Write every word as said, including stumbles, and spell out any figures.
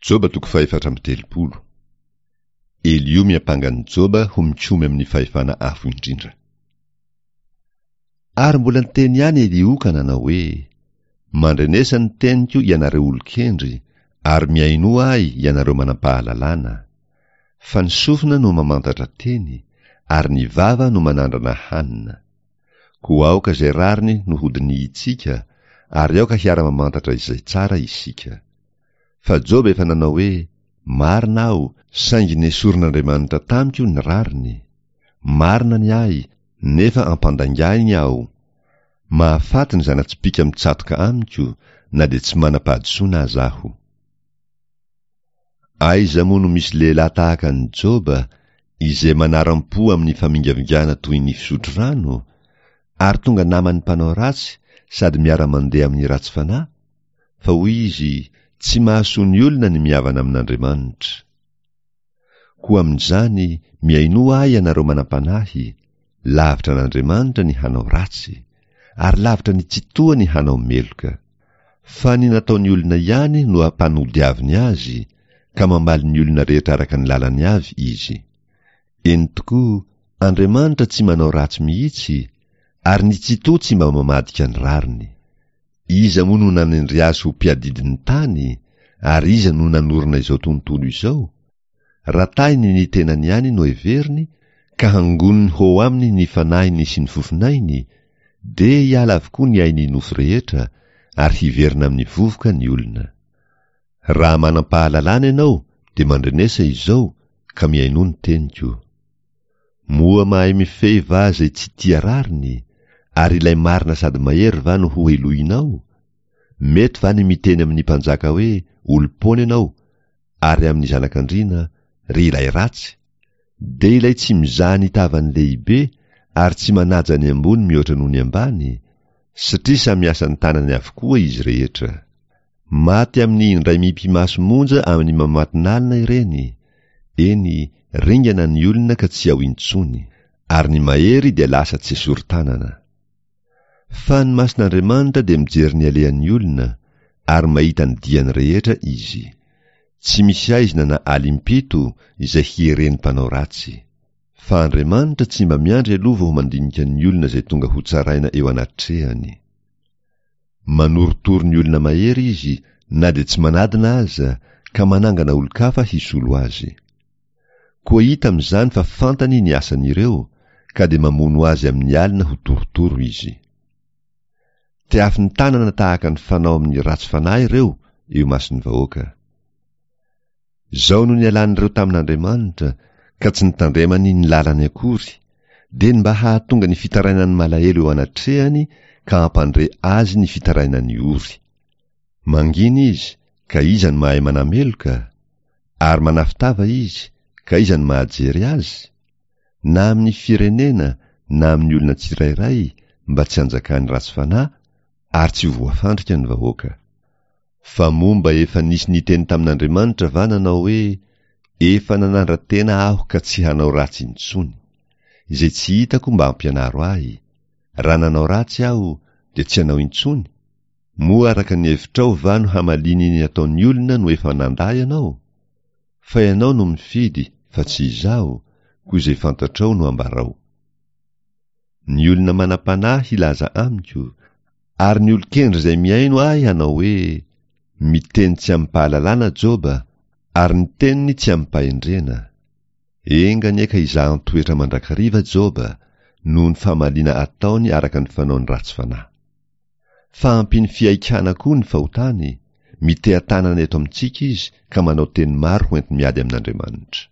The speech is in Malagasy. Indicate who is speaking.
Speaker 1: Joba toko fahefatra amby telopolo. Eliho miampanga an'i Joba ho mikomy amin'ny fahefana avo indrindra. Ary mbola niteny ihany Eliho ka nanao hoe, Mandrenesa ny teniko ianareo olon-kendry, ary mihainoa ahy ianareo manam-pahalalana. Fa ny sofina no mamantatra teny, ary ny vava no manandrana hanina. Koa aoka izay rariny no hodinihintsika, ary aoka hiara-mamantatra izay tsara isika. Fa Joba efa nanao hoe, Marina aho, saingy nesorin'Andriamanitra tamiko ny rariny. Marina ny ahy, nefa ampandaingahiny aho. Mahafaty ny zana-tsipìka mitsatoka amiko, na dia tsy manam-pahadisoana aza aho. Aiza moa no misy lehilahy tahaka an'i Joba, izay manaram-po amin'ny famingavingana toy ny fisotro rano, ary tonga naman'ny mpanao ratsy sady miara-mandeha amin'ny ratsy fanahy? Fa hoy izy, Tsy mahasoa ny olona ny mihavana amin'Andriamanitra. Koa amin'izany, mihainoa ahy ianareo manam-panahy, lavitra an'Andriamanitra ny hanao ratsy, ary lavitra ny Tsitoha ny hanao meloka. Fa ny nataon'ny olona ihany no ampanodiaviny azy, ka mamaly ny olona rehetra araka ny lalany avy izy. Eny tokoa, Andriamanitra tsy manao ratsy mihitsy, ary ny Tsitoha tsy mba mamadika ny rariny. Iza moa no nanendry azy ho mpiadidy ny tany, ary iza no nanorina izao tontolo izao? Raha tahiny ny tenany ihany no heveriny, ka hangoniny ho aminy ny fanahiny sy ny fofonainy, dia hiala avokoa ny ain'ny nofo rehetra, ary hiverina amin'ny vovoka ny olona. Raha manam-pahalalana ianao, dia mandrenesa izao, ka mihainoa ny teniko. Moa mahay mifehy va izay tsy tia rariny, ary ilay marina sady mahery va no hohelohinao? Mety va ny miteny amin'ny mpanjaka hoe, Olom-poana ianao, ary amin'ny zanak'andriana, Ry ilay ratsy? Dia ilay tsy mizaha ny tavan'ny lehibe ary tsy manaja ny ambony mihoatra noho ny ambany, satria samy asan'ny tanany avokoa izy rehetra. Maty amin'ny indray mipi-maso monja amin'ny mamatonalina ireny, eny, ringana ny olona ka tsy ao intsony, ary ny mahery dia lasa tsy esorin-tanana. Fa ny mason'Andriamanitra dia mijery ny alehan'ny olona, ary mahita ny diany rehetra Izy. Tsy misy haizina na alim-pito izay hieren'ny mpanao ratsy. Fa Andriamanitra tsy mba miandry aloha vao mandinika ny olona izay tonga hotsaraina eo anatrehany. Manorotoro ny olona mahery izy na dia tsy manadina aza, ka manangana olon-kafa hisolo azy. Koa hita amin'izany fa fantany ny asan'ireo, ka dia mamono azy amin'ny alina ho torotoro izy. Tehafiny tanana tahaka ny fanao amin'ny ratsy fanahy ireo eo imason'ny vahoaka. Izao no nialan'ireo tamin'Andriamanitra, ka tsy nitandremany ny lalany akory, dia ny mba hahatonga ny fitarainan'ny malahelo eo anatrehany ka hampandre azy ny fitarainan'ny ory. Mangina izy, ka iza no mahay manameloka? Ary manafin-tava izy, ka iza no mahajery azy? Na amin'ny firenena na amin'ny olona tsirairay, mba tsy hanjakan'ny ratsy fanahy, ary tsy ho voafandrika ny vahoaka. Fa moa mba efa nisy niteny tamin'Andriamanitra va nanao hoe, Efa nanandra-tena aho ka tsy hanao ratsy intsony. Izay tsy hitako mba ampianaro ahy. Raha nanao ratsy aho, dia tsy hanao intsony? Moa araka ny hevitrao va no hamaliany ny ataon'ny olona no efa nandà ianao? Fa ianao no mifidy fa tsy izaho, koa izay fantatrao no ambarao. Ny olona manam-panahy hilaza amiko, ary ny olon-kendry izay mihaino ahy hanao hoe, Miteny tsy amim-pahalalana Joba, ary ny teniny tsy amim-pahendrena. Enga anie ka hizahan-toetra mandrakariva Joba, noho ny famaliana ataony araka ny fanaony ratsy fanahy. Fa ampiany fihaikana koa ny fahotany, miteha-tanana eto amintsika izy ka manao teny maro hoenti-miady amin'Andriamanitra.